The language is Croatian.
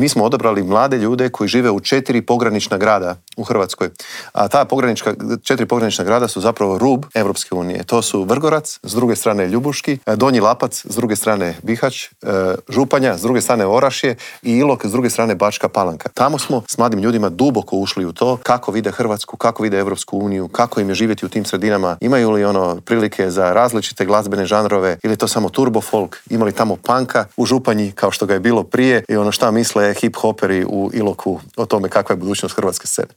Mi smo odabrali mlade ljude koji žive u 4 pogranična grada u Hrvatskoj. A ta 4 pogranična grada su zapravo rub Europske unije. To su Vrgorac, s druge strane Ljubuški, Donji Lapac, s druge strane Bihać, Županja, s druge strane Orašje i Ilok, s druge strane Bačka Palanka. Tamo smo s mladim ljudima duboko ušli u to kako vide Hrvatsku, kako vide Europsku uniju, kako im je živjeti u tim sredinama, imaju li prilike za različite glazbene žanrove ili to samo turbo folk, imali tamo punka u Županji kao što ga je bilo prije i šta misle hip-hoperi u Iloku o tome kakva je budućnost hrvatske scene.